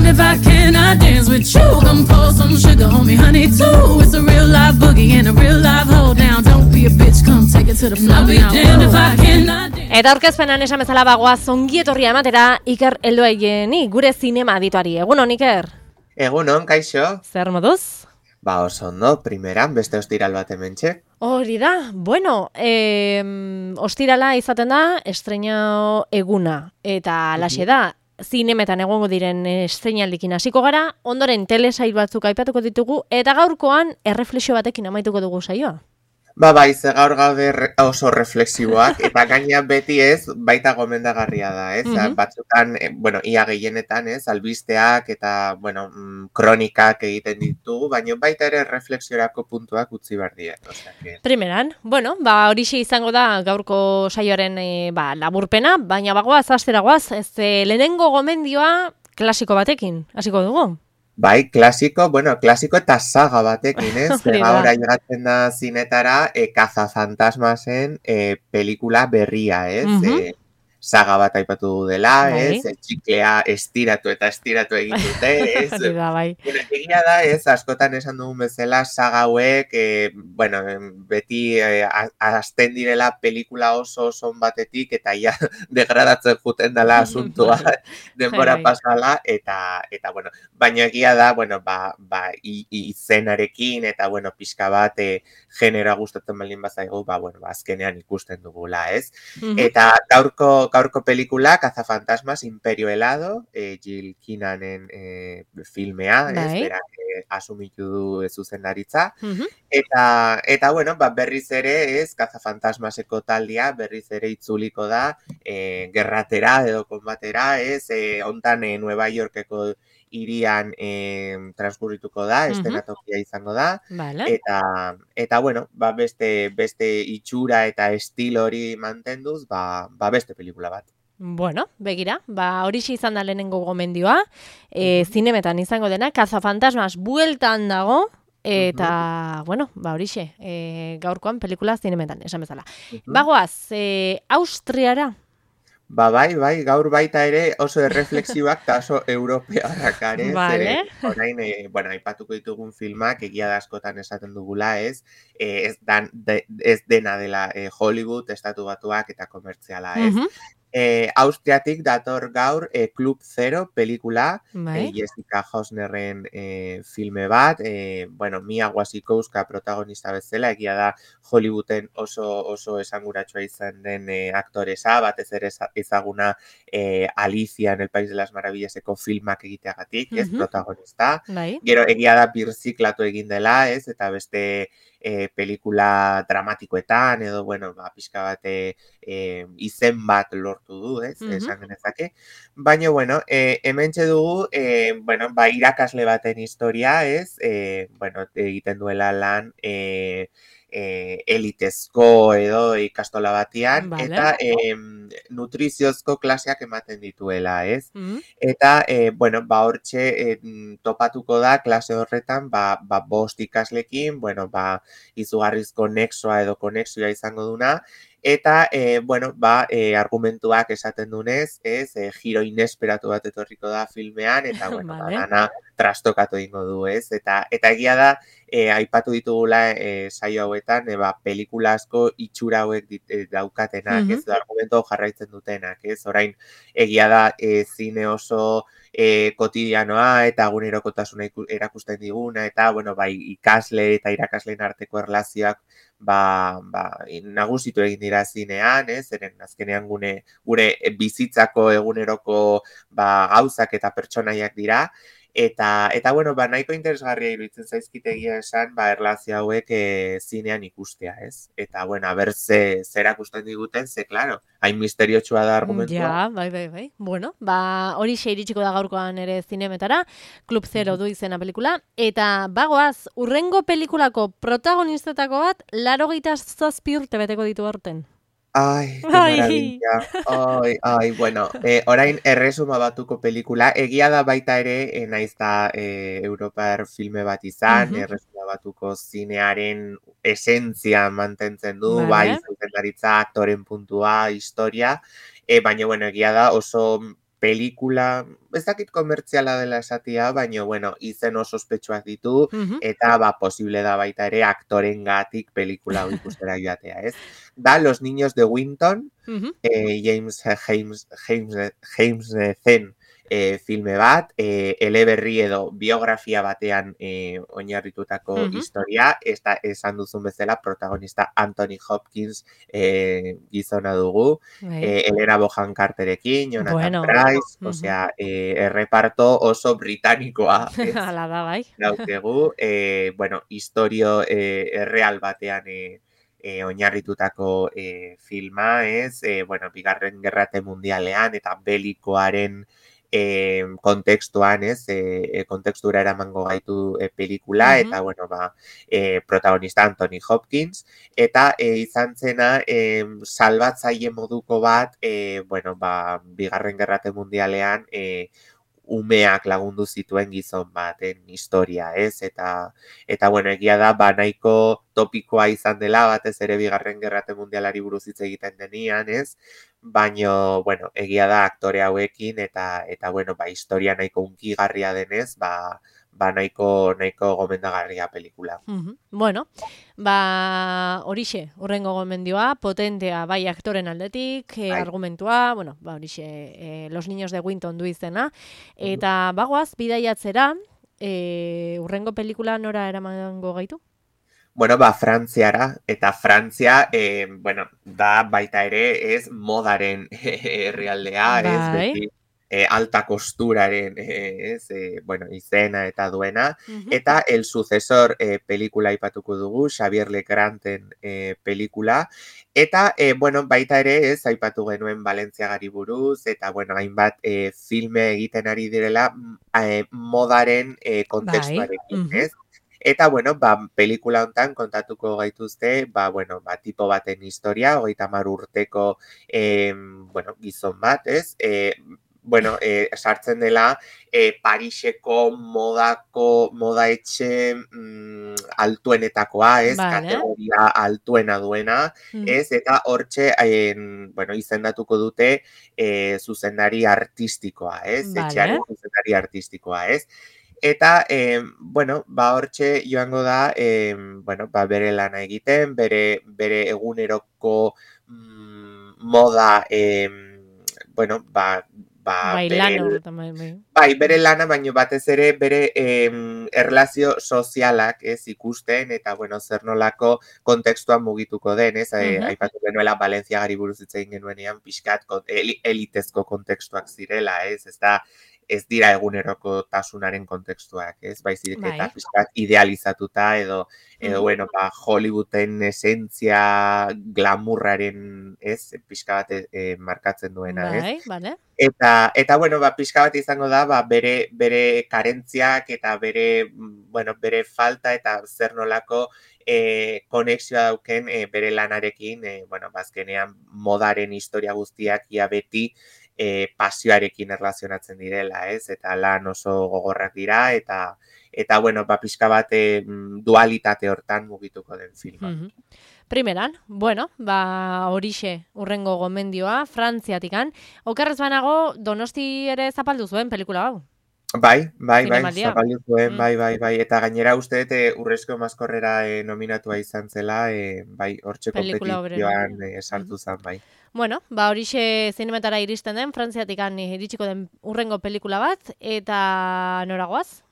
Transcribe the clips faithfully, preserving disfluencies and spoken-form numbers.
damned if I cannot dance with you. Come pour some sugar on me, honey, too. It's a real life boogie and a real life hold down. Don't be a bitch, come take it to the floor. I'll be damned if I cannot dance. Eta aurkezpenan esan bezala bagoaz ongi etorria ematera Iker Helduaigeni, gure zinema adituari. Egunon, Iker? Egunon, kaixo? Zer moduz? Ba, oso ondo, primeran, beste ostiral bat hementxe. Hori da, bueno, eh, ostirala izaten da, estrena eguna, eta alaxe da, zinemetan egongo diren estreinaldikin hasiko gara, ondoren telesail batzuk aipatuko ditugu, eta gaurkoan erreflexio batekin amaituko dugu saioa. Ba, bai, ze gaur gaude re, oso reflexiboak, eta gaina beti ez, baita gomendagarria da, ez? Mm-hmm. Batzutan, eh, bueno, ia gehienetan, ez, albisteak eta, bueno, mm, kronikak egiten ditugu, baina baita ere reflexiorako puntuak utzi behar diet. Osea, que... Primeran, bueno, ba, horixe izango da gaurko saioaren e, ba, laburpena, baina bagoaz, astera goaz, ez e, lehenengo gomendioa klasiko batekin, hasiko dugu. Bai, klasiko, bueno, klasiko eta saga batekin, ez? Gaur ailegatzen da zinetara, e, Cazafantasmasen e, pelikula berria, ez? Uh-huh. E, saga bat aipatu du dela, ez? E, txiklea estiratu eta estiratu egin dute, ez? da, bai. Bueno, egia da, ez? Askotan esan dugun bezala saga hauek, e, bueno, beti e, hasten direla pelikula oso oso batetik, eta ja degradatzen juten dela asuntua denbora pasala, eta, eta, bueno, baina egia da, bueno, ba, ba izenarekin, eta, bueno, pixka bat e, generoa gustatzen baldin bazaigu, ba, bueno, ba, azkenean ikusten dugula, ez? Uh-huh. Eta gaurko Gaurko pelikula, Cazafantasmas, Imperio Helado, eh, Jill Kinanen eh, filmea, ez, berak eh, asumitu du zuzendaritza. Uh-huh. Eta, eta, bueno, ba, berriz ere, ez, Cazafantasmaseko taldia, berriz ere itzuliko da, eh, gerratera edo konbatera, ez, eh, ontan eh, Nueva Yorkeko irian eh, transkurrituko da, uh-huh. estenatokia izango da, vale. eta, eta bueno, ba, beste, beste itxura eta estilo hori mantenduz, ba, ba beste pelikula bat. Bueno, begira, ba horixe izan da lehenengo gomendioa, e, uh-huh. zinemetan izango dena, Cazafantasmas bueltan dago, eta, uh-huh. bueno, ba horixe, e, gaurkoan pelikula zinemetan, esan bezala. Uh-huh. Bagoaz, e, Austriara, Ba, bai, bai, gaur baita ere oso erreflexiboak eta oso europearrak are, vale. Zere, orain, e, bueno, aipatuko ditugun filmak, egia da askotan esaten dugula, ez, e, ez, dan, de, ez dena dela e, Hollywood, estatu batuak eta komertziala, ez. Uh-huh. E, Austriatik dator gaur e, Club Zero pelikula, e, Jessica Hausnerren e, filme bat, e, bueno, Mia Wasikowska protagonista bezala, egia da Hollywooden oso oso esanguratsua izan den e, aktoresa, batez ere ezaguna e, Alicia en el País de las Maravillaseko filmak egiteagatik, ez, uh-huh. protagonista. Bai. Gero egia da birziklatu egin dela, ez, eta beste e, pelikula dramatikoetan, edo, bueno, ba, pixka bat e, izen bat lortu du, ez, uh-huh. esan genezake. Baina, bueno, e, hementxe dugu, e, bueno, ba, irakasle baten historia, ez, e, bueno, egiten duela lan, e, E, elitezko edo ikastola batian, vale. Eta e, nutriziozko klaseak ematen dituela, ez? Mm-hmm. Eta, e, bueno, ba, hortxe e, topatuko da klase horretan, ba, ba bost ikaslekin, bueno, ba, izugarrizko nexoa edo konexioa izango duna, eta, e, bueno, ba, e, argumentuak esaten dunez, ez, e, giro inesperatu bat etorriko da filmean, eta, bueno, vale. Ba, dana trastokatu egingo du, ez? Eta, eta egia da, e, aipatu ditugula e, saio hauetan, e, ba, pelikula asko itxura hauek dit, e, daukatenak, uh-huh. ez, argumentu jarraitzen dutenak, ez? Orain, egia da, e, zine oso e, kotidianoa eta egunerokotasuna erakusten diguna, eta, bueno, bai, ikasle eta irakasleen arteko erlazioak ba, ba, nagusitu egin dira zinean, ez, eren azkenean gune, gure bizitzako eguneroko ba, gauzak eta pertsonaiak dira, eta, eta bueno, ba, nahiko interesgarria iruditzen zaizkitegia esan, ba, erlazio hauek e, zinean ikustea, ez? Eta, bueno, a ber, ze, zera ikusten diguten, ze, klaro, hain misteriotxua da argumentua. Ja, bai, bai, bai. Bueno, ba, hori xe iritsiko da gaurkoan ere zinemetara, Club Zero du izena pelikula, eta bagoaz, urrengo pelikulako protagonistetako bat, larogeita zazpi urte beteko ditu horten. Ai, que maravilla. Ai, ai, bueno, eh, orain erresuma batuko pelikula, egia da baita ere, eh, naiz da eh, Europar filme bat izan, uh-huh. erresuma batuko zinearen esentzia mantentzen du, vale. Bai, zuzendaritza, aktoren puntua, historia, eh, baina, bueno, egia da oso pelikula, ez dakit komertziala dela esatia, baina, bueno, izen oso ospetsuak ditu, Mhm. eta, ba, posible da baita ere aktorengatik pelikula hau ikustera joatea, ez? Da, Los Niños de Winton, Mhm. eh, James James James James zen eh, filme bat, eh, eleberri edo biografia batean eh, oinarritutako Mhm. historia, eta esan duzun bezala protagonista Anthony Hopkins eh, gizona dugu, Bai. eh, Helena Bonham Carterekin, Jonathan Bueno. Pryce, Mhm. osea, eh, erreparto oso britanikoa, ez? Hala da, bai. Daukegu, eh, bueno, historio eh, erreal batean eh, eh, oinarritutako eh, filma, ez? Eh, bueno, bigarren gerrate mundialean eta belikoaren eh, kontekstuan, ez? Eh, kontekstura eramango gaitu eh, pelikula, Mhm. eta, bueno, ba, eh, protagonista Anthony Hopkins, eta eh, izan zena eh, salbatzaile moduko bat, eh, bueno, ba, bigarren gerrate mundialean, eh, umeak lagundu zituen gizon baten historia, ez? Eta, eta bueno, egia da, ba, nahiko topikoa izan dela, batez ere bigarren gerrate mundialari buruz hitz egiten denian, ez? Baino, bueno, egia da aktore hauekin, eta, eta bueno, ba, historia nahiko unkigarria denez, ba, ba nahiko, nahiko gomendagarria pelikula. Mhm. Bueno, ba, horixe, urrengo gomendioa, potentea, bai aktoren aldetik, e, Bai. argumentua, bueno, ba, horixe, e, Los Niños de Winton du izena, eta bagoaz, bidaiatzera, e, urrengo pelikula nora eramango gaitu? Bueno, ba, Frantziara, eta Frantzia, eh, bueno, da baita ere, ez, modaren herrialdea, ez, Bai. beti eh, alta kosturaren, eh, ez, eh, bueno, izena eta duena, Mhm. eta El Sucesor eh, pelikula aipatuko dugu, Xavier Legranten eh, pelikula, eta, eh, bueno, baita ere, ez, aipatu genuen Valentziagari buruz, eta, bueno, hainbat eh, filme egiten ari direla eh, modaren eh, kontekstuarekin, Mhm. ez? Eta, bueno, ba, pelikula hontan kontatuko gaituzte, ba, bueno, ba, tipo baten historia, hogeita hamar urteko, eh, bueno, gizon bat, ez? Eh, bueno, eh, sartzen dela eh, Pariseko modako, moda etxe mm, altuenetakoa, ez? Vale. Kategoria altuena duena, Mhm. ez? Eta hortxe, eh, bueno, izendatuko dute eh, zuzendari artistikoa, ez? Vale. Etxearen zuzendari artistikoa, ez? Eta, eh, bueno, ba, hortxe joango da, eh, bueno, ba, bere lana egiten, bere, bere eguneroko mm, moda, eh, bueno, ba, ba, Bai, bere, lan horretan, bai, bai. bai, bere lana, baino batez ere bere eh, erlazio sozialak ez ikusten, eta, bueno, zer nolako kontekstuan mugituko den, ez? Eh, Mhm. aipatu genuela Valentziagari buruz hitz egin genuenean, pixkat kon- eli- elitezko kontekstuak zirela, ez? Ez da, ez dira eguneroko tasunaren kontekstuak, ez? Baizik eta Bai. pixkat idealizatuta edo, edo Mhm. bueno, ba, Hollywooden esentzia glamurraren, ez? Pixka bat eh, markatzen duena, ez? Bai, vale. Eta, eta bueno, ba, pixka bat izango da, ba, bere, bere karentziak eta bere, mm, bueno, bere falta eta zer nolako eh, konexioa dauken eh, bere lanarekin, eh, bueno, bazkenean modaren historia guztiak ia beti eh, pasioarekin erlazionatzen direla, ez? Eta lan oso gogorrak dira, eta, eta bueno, ba, pixka bat eh, dualitate hortan mugituko den filma. Mhm. Primeran, bueno, ba, horixe urrengo gomendioa, Frantziatikan. Okerrez banago, Donosti ere zapaldu zuen pelikula hau. Bai, bai, bai, Zinemaldia. zapaldu zuen, Mm. bai, bai, bai, eta gainera uste dut eh, Urrezko Maskorrera eh, nominatua izan zela, eh, bai, hortxe Pelikula hoberena. kompetizioan eh, sartu zen, bai. Bueno, ba, horixe zinemetara iristen den, Frantziatikan iritsiko den urrengo pelikula bat, eta noragoaz?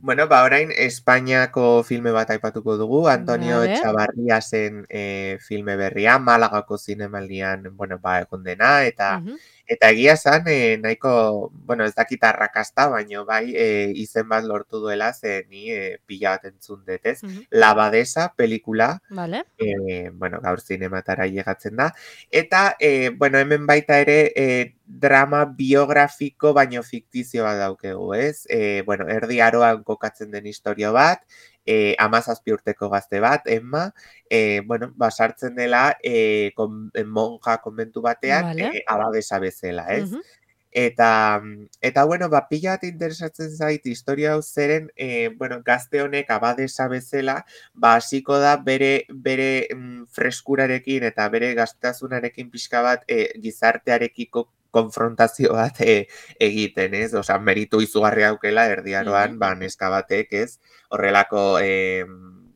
Bueno, ba, orain Espainiako filme bat aipatuko dugu, Antonio Vale. Etxabarriasen eh, filme berria, Malagako zinemaldian, bueno, ba, egon dena, eta Mhm. eta egia esan, eh, nahiko, bueno, ez dakit arrakasta, baino bai, eh, izen bat lortu duela, ze ni eh, pila bat entzun dut, ez? Mhm. La Badesa pelikula, Vale. eh, bueno, gaur zinematara llegatzen da. Eta, eh, bueno, hemen baita ere eh, drama biografiko baino fiktizio bat daukegu, ez? Eh, bueno, erdi aroan kokatzen den historio bat, eh, amazazpi urteko gazte bat, Emma, eh, bueno, basartzen dela eh, kon, monja konbentu batean, Vale. eh, abadesa bezala, ez? Mhm. Eta, eta bueno, ba, pila bat interesatzen zait historia hau zeren, eh, bueno, gazte honek abadesa bezala, ba, hasiko da bere, bere mm, freskurarekin eta bere gaztasunarekin pixka bat eh, gizartearekiko konfrontazio bat e, egiten, ez? Osa, meritu izugarri aukela erdiaroan, mm-hmm. ba, neska batek, ez? Horrelako, e,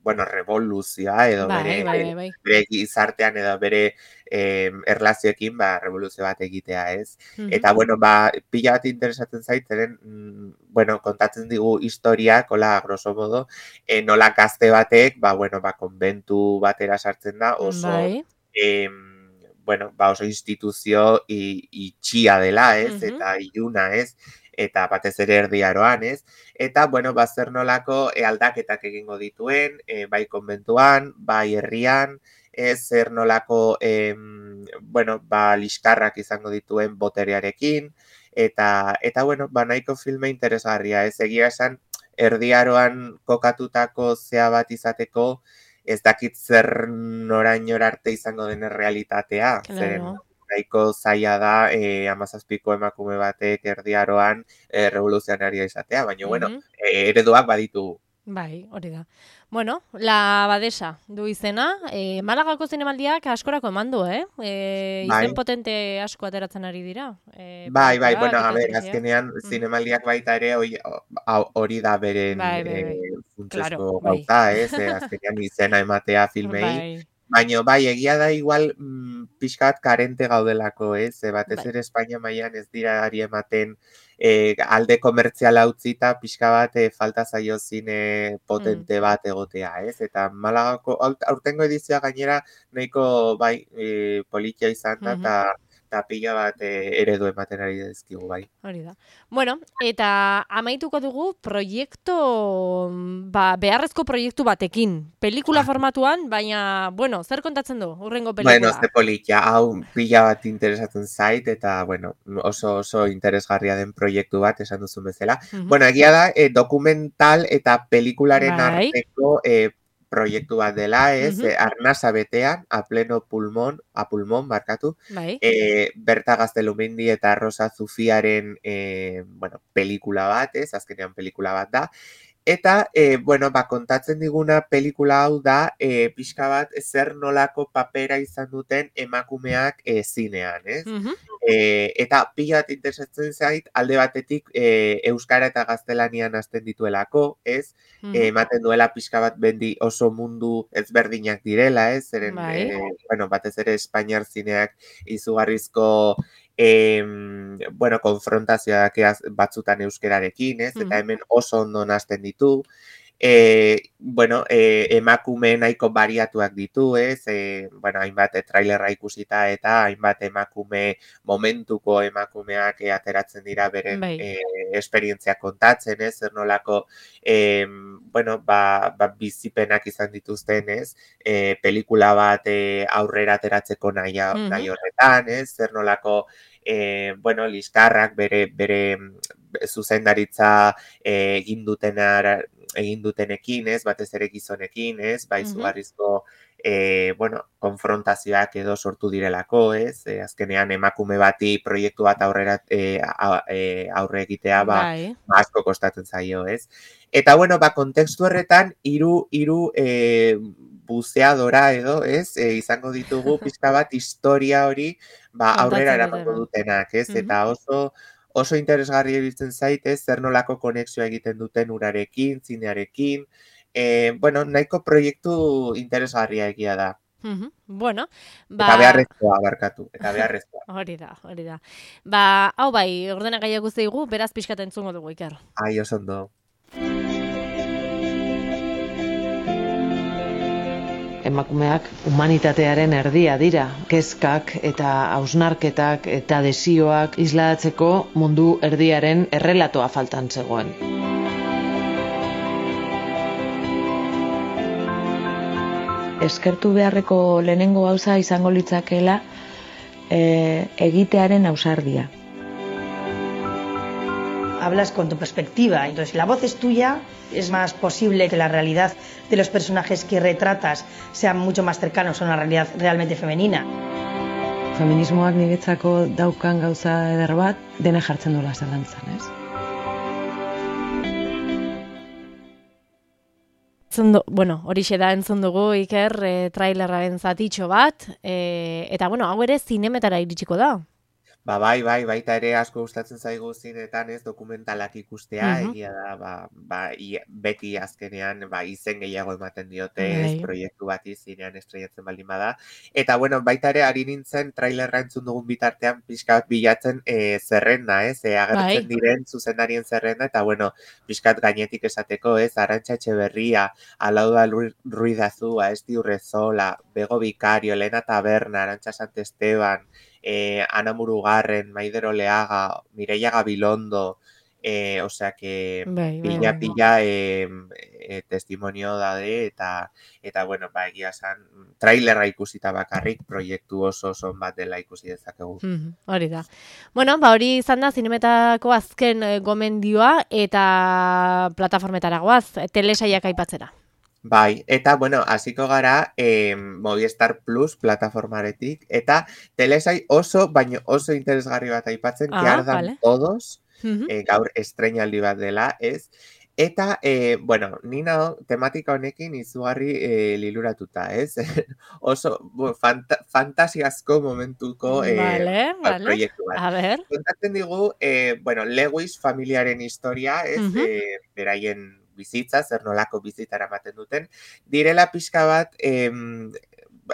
bueno, revoluzioa edo bai, bere, bai, bai, bai. bere gizartean edo bere eh, erlazioekin, ba, revoluzio bat egitea, ez? Mm-hmm. Eta, bueno, ba, pila bat interesatzen zaitzen, mm, bueno, kontatzen digu historia, kola, grosso modo, eh, nola gazte batek, ba, bueno, ba, konbentu batera sartzen da, oso, bai. eh, bueno, ba, oso instituzio itxia dela, ez? Mm-hmm. Eta iluna, ez? Eta batez ere erdiaroan, ez? Eta, bueno, ba, zer nolako e, aldaketak egingo dituen, e, bai konbentuan, bai herrian, ez zer nolako, e, bueno, ba, liskarrak izango dituen boterearekin, eta, eta bueno, ba, nahiko filme interesgarria, ez egia esan, erdiaroan kokatutako zea bat izateko, ez dakit zer norainora arte izango den realitatea, claro. Zen, nahiko zaila da eh, amazazpiko emakume batek erdiaroan eh, revoluzionaria izatea, baina, mm-hmm. bueno, eh, ereduak baditu. Bai, hori da. Bueno, La Badesa du izena, eh, Malagako zinemaldiak askorako eman du, eh? eh bai. Izen potente asko ateratzen ari dira. Eh, bai, bai, bueno, a ber, azkenean mm. zinemaldiak baita ere hori da beren bai, bai, bai. eh, funtsezko claro, gauza, bai. ez? Eh, azkenean izena ematea filmei. Bai. Baina, bai, egia da igual mm, pixkat karente gaudelako, ez? E, batez ere Espainia mailan ez dira ari ematen e, alde komertziala utzita pixka bat e, falta zaio zine potente mm. bat egotea, ez? Eta Malagako aurtengo edizioa gainera nahiko bai e, politia izan da, eta mm-hmm. eta pila bat e, eredu ematen ari dizkigu, bai. Hori da. Bueno, eta amaituko dugu proiektu, ba, beharrezko proiektu batekin. Pelikula formatuan, baina, bueno, zer kontatzen du, urrengo pelikula? Bueno, ze politia, hau pila bat interesatzen zait, eta, bueno, oso oso interesgarria den proiektu bat, esan duzun bezala. Mm-hmm. Bueno, egia da, eh, dokumental eta pelikularen bai. arteko eh, proiektu bat dela, ez, uh-huh. arnasa betean, a pleno pulmón, a pulmón, barkatu, bai. e, Berta Gaztelumendi eta Rosa Zufiaren, e, bueno, pelikula bat, ez, azkenean pelikula bat da, eta, e, bueno, ba, kontatzen diguna pelikula hau da, e, pixka bat, zer nolako papera izan duten emakumeak e, zinean, ez? Uh-huh. E, eta pila bat interesatzen zait, alde batetik e, euskara eta gaztelanian hasten dituelako, ez? Uh-huh. E, ematen duela pixka bat bendi oso mundu ezberdinak direla, ez? Zeren, bai. e, bueno, batez ere Espainiar zineak izugarrizko E, bueno, konfrontazioak batzutan euskerarekin, ez? Eta hemen oso ondo hasten ditu. E, bueno, e, emakume nahiko bariatuak ditu, ez? E, bueno, hainbat e, trailerra ikusita eta hainbat emakume momentuko emakumeak e, ateratzen dira beren e, esperientzia kontatzen, ez? Zer nolako, e, bueno, ba, ba, bizipenak izan dituzten, ez? E, pelikula bat e, aurrera ateratzeko nahi, mm-hmm. nahi horretan, ez? Zer nolako E, bueno, liskarrak bere, bere zuzendaritza e, egin dutenar, egin dutenekin, ez, batez ere gizonekin, ez, bai zugarrizko e, bueno, konfrontazioak edo sortu direlako, ez, e, azkenean emakume bati proiektu bat aurrera e, a, e, aurre egitea, ba, asko kostatzen zaio, ez. Eta, bueno, ba, kontekstu horretan, hiru hiru e, buzeadora edo, ez, e, izango ditugu pizka bat historia hori, ba, aurrera eramango dutenak, ez, mm-hmm. eta oso oso interesgarri ibiltzen zait, ez, zer nolako konexioa egiten duten urarekin, zinearekin, e, bueno, nahiko proiektu interesgarria egia da. Mm-hmm. Bueno, ba... Eta beharrezkoa, barkatu, eta beharrezkoa. Hori da, hori da. Ba, hau bai, ordenak gaiak zeigu, beraz pixkat entzungo dugu, Iker. Ai, oso ondo. Emakumeak humanitatearen erdia dira. Kezkak eta hausnarketak eta desioak islatzeko mundu erdiaren errelatoa faltan zegoen. Eskertu beharreko lehenengo gauza izango litzakeela e, egitearen ausardia. Hablas con tu perspectiva, entonces la voz es tuya, es más posible que la realidad de los personajes que retratas sean mucho más cercanos a una realidad realmente femenina. Feminismoak niretzako daukan gauza eder bat, dena jartzen duela zalantzan, ez? Zondo, bueno, horixe da entzun dugu, Iker, e, trailerraren zatitxo bat, e, eta bueno, hau ere zinemetara iritsiko da. Ba, bai, bai, baita ere asko gustatzen zaigu zinetan, ez, dokumentalak ikustea, Mhm. egia da, ba, ba, ia- beti azkenean, ba, izen gehiago ematen diote, ez, Bai. proiektu bati zinean estrenatzen baldin bada. Eta, bueno, baita ere ari nintzen trailerra entzun dugun bitartean pixka bat bilatzen e, zerrenda, ez, e, agertzen Bai. diren zuzendarien zerrenda, eta, bueno, pixkat gainetik esateko, ez, Arantxa Etxeberria, Alauda Ru- Ruiz de Azúa, Esti Urrezola, Bego Vicario, Elena Taberna, Arantxa Santesteban, eh, Ana Murugarren, Maider Oleaga, Mireia Gabilondo, eh, osea que Bai, bai, pila bai. pila eh, eh, testimonio daude eta eta bueno, ba egia esan trailerra ikusita bakarrik proiektu oso oso on bat dela ikusi dezakegu. Mhm, hori da. Bueno, ba hori izan da zinemetako azken eh, gomendioa eta plataformetara goaz, telesaiak aipatzera. Bai, eta bueno, hasiko gara eh, Movistar Plus plataformaretik eta telesai oso, baino oso interesgarri bat aipatzen, que Ah, ardan vale. todos, Mhm. eh, gaur estreinaldi bat dela, ez? Eta, eh, bueno, ni nago tematika honekin izugarri eh, liluratuta, ez? Oso bu, fanta, fantasiazko momentuko eh, Vale, ba, vale. proiektu bat. A ver. Kontatzen digu, eh, bueno, Lewis familiaren historia, ez? Mhm. Eh, beraien bizitza, zer nolako bizitara ematen duten, direla pixka bat, em,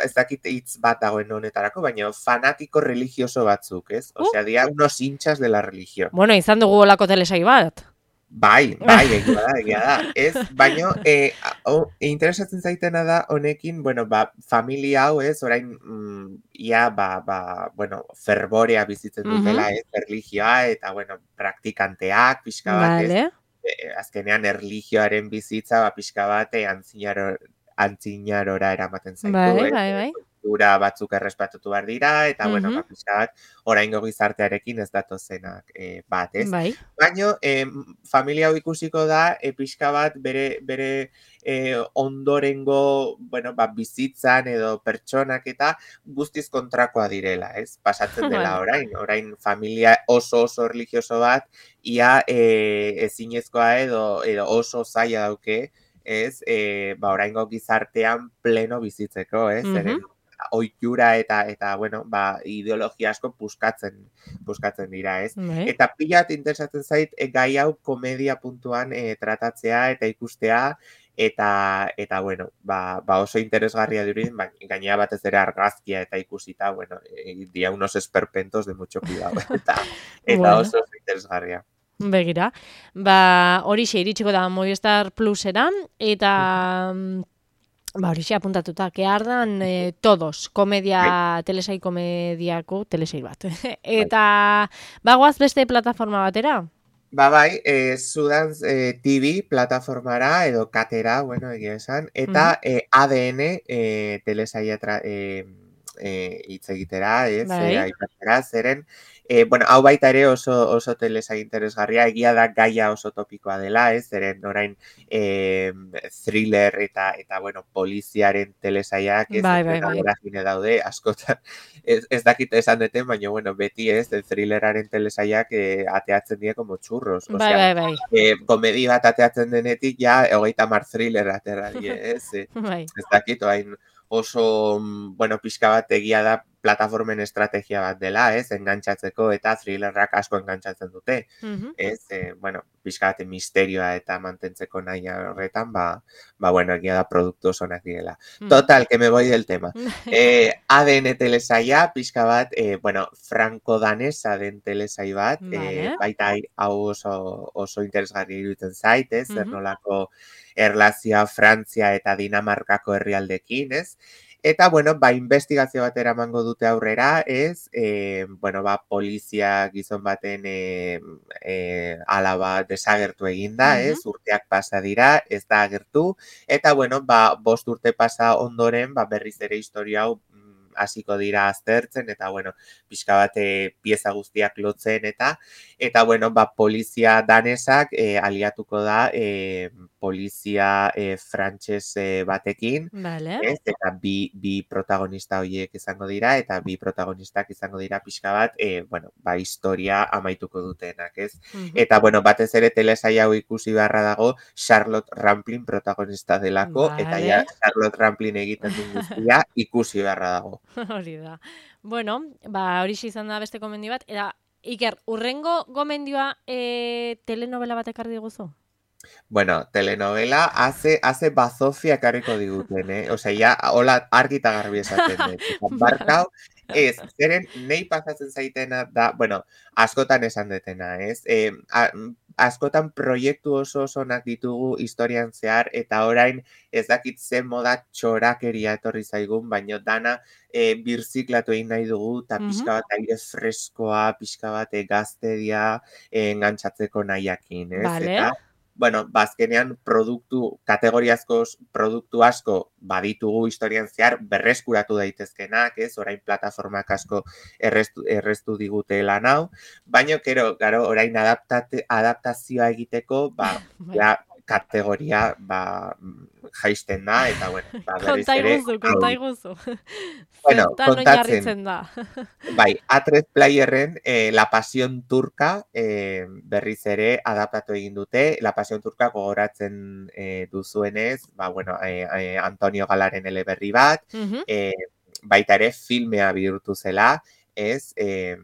ez dakit hitz bat dagoen honetarako, baina fanatiko religioso batzuk, ez? Uh. Osea, dira unos hinchas de la religión. Bueno, izan dugu olako telesai bat. Bai, bai, egia da, egia da. Ez, baino, eh, o, interesatzen zaitena da honekin, bueno, ba, familia hau, ez, orain, mm, ia, ba, ba, bueno, ferborea bizitzen dutela, Mhm. ez, erligioa, eta, bueno, praktikanteak, pixka bat, ez, Vale. e, azkenean erlijioaren bizitza, ba, pixka bat, e, antzinaro, antzinarora eramaten zaitu, Bai, ez, bai, e, bai. kultura batzuk errespetatu behar dira, eta, bueno, Mhm. ba, pixka bat, oraingo gizartearekin ez datozenak e, bat, ez. Bai. Baino, eh, familia hau ikusiko da, e, pixka bat bere, bere e, ondorengo, bueno, ba, bizitzan edo pertsonak eta guztiz kontrakoa direla, ez? Pasatzen dela Vale. orain, orain familia oso oso religioso bat, ia e, ezinezkoa edo, edo oso zaila dauke, ez? E, ba, oraingo gizartean pleno bizitzeko, ez? Mhm. Zeren ohitura eta eta bueno, ba, ideologia asko puskatzen puskatzen dira, ez? Bai. Eta pila bat interesatzen zait e, gai hau komedia puntuan e, tratatzea eta ikustea eta eta bueno, ba, ba oso interesgarria dirudin, ba, gainera batez ere argazkia eta ikusita, bueno, e, dia unos esperpentos de mucho cuidado eta eta Bueno. oso, oso interesgarria. Begira, ba horixe iritsiko da Movistar Plusera eta mm, ba horixe apuntatuta, que ardan eh, todos, komedia, telesai komediako telesai bat. Eta bagoaz beste plataforma batera? Ba bai, e, Sudans e, T V plataformara edo katera, bueno, egia esan, eta Mhm. e, A D N e, telesaia tra, e, e, hitz egitera, ez, Bai. e, aipatzera, zeren, e, bueno, hau baita ere oso, oso telesai interesgarria, egia da gaia oso topikoa dela, ez, zeren orain e, thriller eta, eta bueno, poliziaren telesaiak, ez, Bai, bai, bai. vorágine daude, askotan, ez, ez dakit esan deten, baina, bueno, beti ez, el thrilleraren telesaiak e, ateatzen die como churros, Bai, osea, bai, bai. eh, komedi bat ateatzen denetik, ja, hogeita mar thriller atera die, ez, e, Bai. ez dakit, orain oso, mm, bueno, pixka bat egia da plataformen estrategia bat dela, ez, engantzatzeko eta thrillerrak asko engantzatzen dute, Mhm. ez, e, bueno, pixka bat misterioa eta mantentzeko nahi horretan, ba, ba, bueno, egia da produktu osonak direla. Mhm. Total, que me voy del tema. Eh, A D N telesaia, pixka bat, eh, bueno, franko-danesa den telesai bat, eh, Vale. baita hau oso, oso interesgarri iruditzen zait, ez, zer Mhm. nolako erlazioa Frantzia eta Dinamarkako herrialdekin, ez? Eta, bueno, ba, investigazio bat eramango dute aurrera, ez? E, bueno, ba, polizia gizon baten e, e, alaba desagertu eginda, ez? Mhm. Urteak pasa dira, ez da agertu. Eta, bueno, ba, bost urte pasa ondoren, ba, berriz ere historia hau mm, hasiko dira aztertzen, eta, bueno, pixka bat e, pieza guztiak lotzen, eta, eta, bueno, ba, polizia danesak e, aliatuko da e, polizia e, frantses e, batekin, Vale. ez? Eta bi, bi protagonista horiek izango dira, eta bi protagonistak izango dira pixka bat, e, bueno, ba, historia amaituko dutenak, ez? Mhm. Eta, bueno, batez ere telesail hau ikusi beharra dago Charlotte Rampling protagonista delako, eta ja Vale. Charlotte Rampling egiten duen guztia ikusi beharra dago. Hori da. Bueno, ba, horixe izan da beste gomendio bat. Eta, Iker, urrengo gomendioa e, telenovela bat ekarri diguzu? Bueno, telenovela hace, hace bazofia ekarriko diguten, eh? Osea, ja, hola argi eta garbi esaten dut. Eta barkau, ez, zeren nei pasatzen zaitena da, bueno, askotan esan detena, ez? E, a, askotan proiektu oso osonak ditugu historian zehar, eta orain ez dakit zen moda txorakeria etorri zaigun, baino dana e, birziklatu egin nahi dugu, eta Mhm. pixka bat aire freskoa, pixka bat e, gaztedia e, engantzatzeko nahiakin, ez? Vale. Eta, bueno, bazkenean produktu, kategoriazko produktu asko baditugu historian zehar berreskuratu daitezkenak, ez? Orain plataformak asko erreztu, erreztu digute lan hau, baina, kero, garo, orain adaptate, adaptazioa egiteko, ba, Bai. ja, kategoria, ba, jaisten da, eta, bueno, ba, berriz Konta ere... iguzu, konta iguzu. Bueno, Zertan kontatzen. oinarritzen da. Bai, A tres Playerren eh, La Pasión Turca eh, berriz ere adaptatu egin dute. La Pasión Turca gogoratzen eh, duzuenez, ba, bueno, eh, eh, Antonio Galaren eleberri bat, Mhm. eh, baita ere filmea bihurtu zela, ez, eh,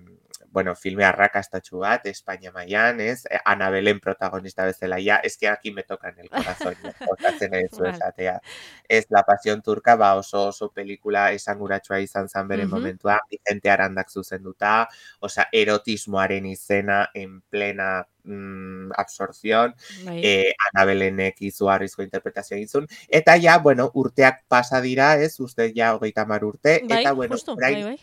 bueno, filme arrakastatxu bat, Espainia mailan, ez, Ana Belén protagonista bezala, ja, es que aquí me tocan el corazón, jokatzen ez Vale. esatea. Ez, La Pasión Turca, ba, oso oso pelikula esanguratsua izan zen bere Mhm. momentua, Vicente Arandak zuzenduta, osea, erotismoaren izena en plena mm, absorción, Bai. eh, Ana Belenek izugarrizko interpretazioa egin zuen, eta ja, bueno, urteak pasa dira, ez, uste ja hogeita hamar urte, Bai, eta, bueno, justu, orain, bai, bai.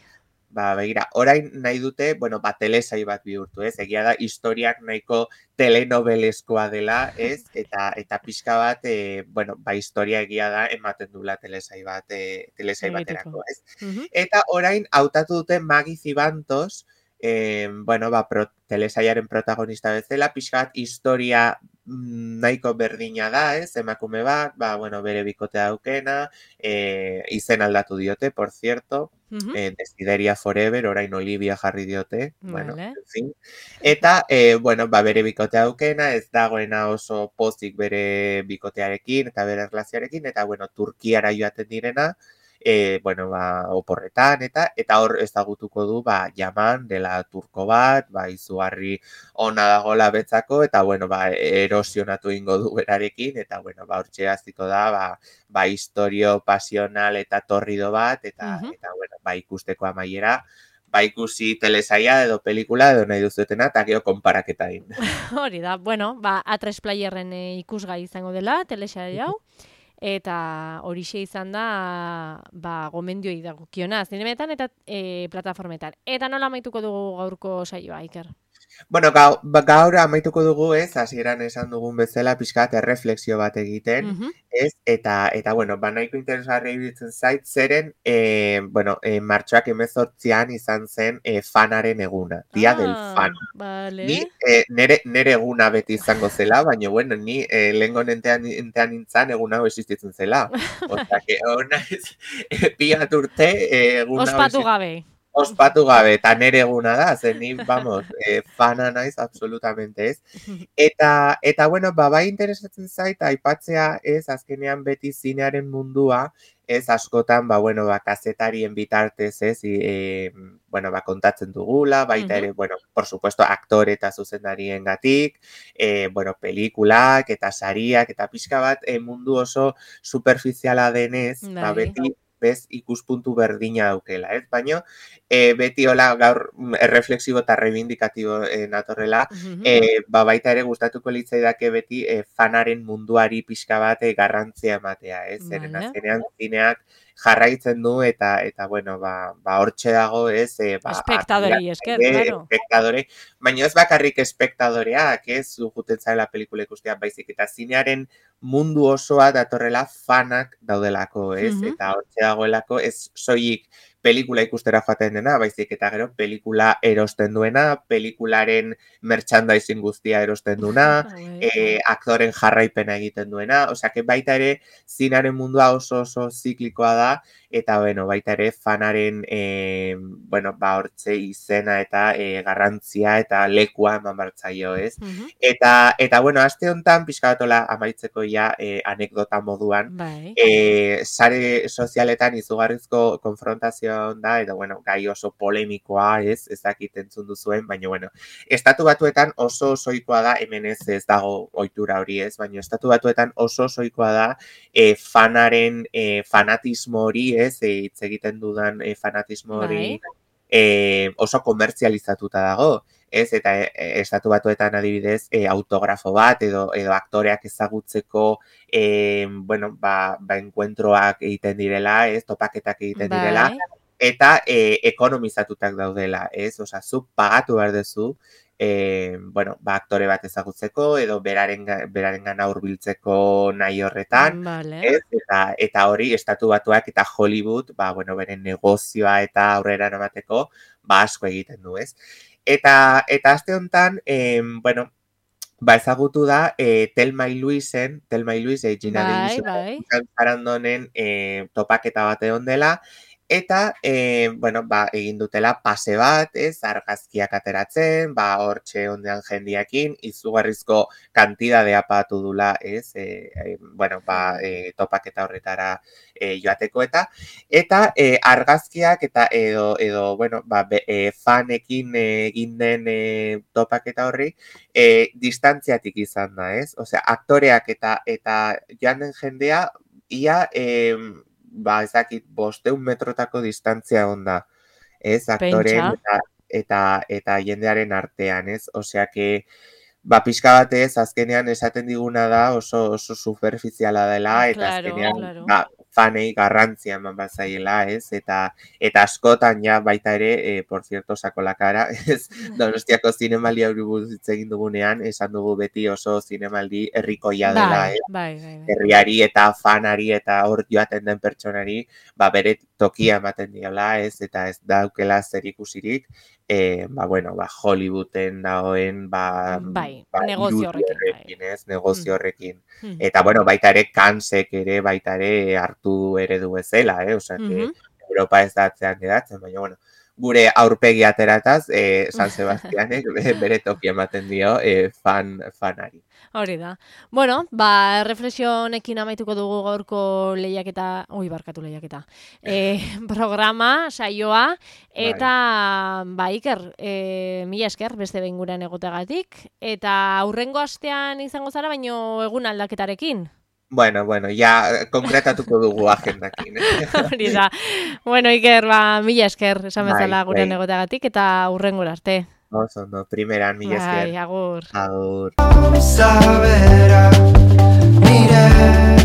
ba, begira, orain nahi dute, bueno, ba, telesail bat bihurtu, ez? Egia da, historiak nahiko telenovelezkoa dela, ez? Eta eta pixka bat, e, bueno, ba, historia egia da, ematen dula telesail bat, e, telesail Egiteko. baterako, ez? Mhm. Eta orain, hautatu dute Magi Zibantos, eh, bueno, ba, pro, telesailaren protagonista bezala, pixka bat, historia mm, nahiko berdina da, ez? Emakume bat, ba, bueno, bere bikotea daukena, eh, izen aldatu diote, por cierto, Mhm. eh, Desideria Forever, orain Olivia jarri diote, bueno, Vale. en fin. Eta, eh, bueno, ba, bere bikotea daukena, ez dagoena oso pozik bere bikotearekin, eta bere erlazioarekin, eta, bueno, Turkiara joaten direna, e, bueno, ba, oporretan, eta eta hor ezagutuko du, ba, Yaman dela turko bat, ba, izugarri ona dagola betzako, eta, bueno, ba, erosionatu ingo du berarekin, eta, bueno, ba, hortxe hasiko da, ba, ba, historio pasional eta torrido bat, eta, Mhm. eta, bueno, ba, ikusteko amaiera, ba, ikusi telesaia edo pelikula edo nahi duzuetena, eta gero konparaketa egin. Hori da, bueno, ba, A tres Playerren e, ikusgai izango dela, telesail hau, eta horixe izan da, ba, gomendioi dagokiona, zinemetan eta e, plataformetan. Eta nola amaituko dugu gaurko saioa, Iker? Bueno, gaur, ba, gaur amaituko dugu, ez, hasieran esan dugun bezala, pixkat erreflexio bat egiten, Mhm. ez, eta, eta, bueno, ba, nahiko interesgarri iruditzen zait, zeren, e, bueno, e, martxoak hemezortzian izan zen e, fanaren eguna, dia del fan. Vale. Ni, e, nere, nere eguna beti izango zela, baina, bueno, ni e, lehengo nentean, nentean nintzen egun hau existitzen zela. Osea, que hona ez, e, piat urte, e, egun hau Ospatu existitzen. gabe. Ospatu gabe, eta nere eguna da, zen ni, vamos, eh, fana naiz, absolutamente ez. Eta, eta bueno, ba, bai interesatzen zait, aipatzea ez, azkenean beti zinearen mundua, ez askotan, ba, bueno, ba, kazetarien bitartez, ez, e, bueno, ba, kontatzen dugula, baita ere, bueno, por supuesto, aktore eta zuzendarien gatik, e, bueno, pelikulak eta sariak, eta pixka bat, e, mundu oso superficiala denez, ba, Bai. beti, bez, ikuspuntu berdina daukela, ez? Baina, e, beti hola gaur erreflexibo eta reivindikatibo e, natorrela, Mhm. e, ba, baita ere gustatuko litzaidake beti e, fanaren munduari pixka bat e, garrantzia ematea, ez? Zeren Vale. azkenean zineak jarraitzen du eta, eta bueno, ba, ba hortxe dago, ez? E, ba, Espektadorei esker, admiratzaile, claro. espektadore, baina ez bakarrik espektadoreak, ez? Zujuten zaila pelikula ikustea, baizik eta zinearen mundu osoa datorrela fanak daudelako, ez? Mhm. Eta hortxe dagoelako, ez soilik pelikula ikustera joaten dena, baizik eta gero pelikula erosten duena, pelikularen merchandising guztia erosten duena, e, aktoren jarraipena egiten duena, osea, que baita ere zinaren mundua oso oso ziklikoa da, eta bueno, baita ere fanaren e, bueno, ba hortze izena eta e, garrantzia eta lekua eman bartzaio, ez? Mhm. Eta eta bueno, aste hontan pixka batola amaitzeko ja e, anekdota moduan, Bai. e, sare sozialetan izugarrizko konfrontazioa da, eta bueno, gai oso polemikoa, ez, ez dakit entzun duzuen, baina bueno, estatu batuetan oso osoikoa da, hemen ez ez dago ohitura hori, ez, baina estatu batuetan oso osoikoa da e, fanaren e, fanatismo hori, ez, e, hitz egiten dudan e, fanatismo hori Bai. e, oso komertzializatuta dago, ez, eta e, estatu batuetan adibidez e, autografo bat edo edo aktoreak ezagutzeko e, bueno, ba, ba enkuentroak egiten direla, ez, topaketak egiten direla, Bai. eta e, ekonomizatutak daudela, ez, osea, zu pagatu behar duzu, e, bueno, ba, aktore bat ezagutzeko edo beraren berarengana hurbiltzeko nahi horretan, Vale. ez, eta eta hori estatu batuak eta Hollywood, ba, bueno, beren negozioa eta aurrera eramateko, ba, asko egiten du, ez. Eta eta aste honetan, eh, bueno, ba ezagutu da eh, Thelma y Louisen, Thelma y Louise, eh, Gina Bai, Davis bai. eta Sarandonen eh, topaketa bat egon dela, eta eh, bueno, ba, egin dutela pase bat, ez, argazkiak ateratzen, ba, hortxe ondean jendiakin, izugarrizko kantidadea patu dula, ez, eh, eh, bueno, ba, eh, topaketa horretara eh, joateko eta, eta eh, argazkiak eta edo, edo bueno, ba, be, eh, fanekin eh, egin den eh, topaketa horri, eh, distantziatik izan da, ez? Osea, aktoreak eta eta joan den jendea, ia, eh, ba, ezakit, bosteun metrotako distantzia onda, ez? Aktoreen Pentsa. eta, eta, eta jendearen artean, ez? Osea, que, ba, pixka batez, azkenean esaten diguna da oso, oso superficiala dela, eta Claro, azkenean, claro. ba, fanei garrantzia eman bazaiela, ez? Eta eta askotan ja baita ere, eh, por cierto, sako la cara, ez? Donostiako zinemaldi hori buruz hitz egin dugunean, esan dugu beti oso zinemaldi herrikoia dela, Bai, ez? bai, bai, bai. Herriari eta fanari eta hor joaten den pertsonari, ba, bere tokia ematen diola, ez? Eta ez daukela zer ikusirik, eh, ba, bueno, ba, Hollywooden dagoen, ba, Bai, ba, negozio irudi horrekin, bai. horrekin, ez? Negozio horrekin. Mhm. Eta, bueno, baita ere, Kansek ere, baita ere, hartu eredu bezala, eh? Osea, que Mhm. Europa ez da atzean geratzen, baina, bueno, gure aurpegi aterataz, eh, San Sebastianek bere toki ematen dio eh, fan, fanari. Hori da. Bueno, ba, reflexio honekin amaituko dugu gaurko lehiaketa, ui, barkatu lehiaketa, e, programa, saioa, eta, ba, Iker, e, mila esker beste behin gurean egoteagatik, eta aurrengo astean izango zara, baino egun aldaketarekin. Bueno, bueno, ja konkretatuko dugu agendakin. Eh? Hori da. Bueno, Iker, ba, mila esker, esan Bai, bezala gurean bai. egoteagatik, eta aurrengora arte. Oso, no, primeran, mila esker. Bai, agur. Agur. Saberá, mire.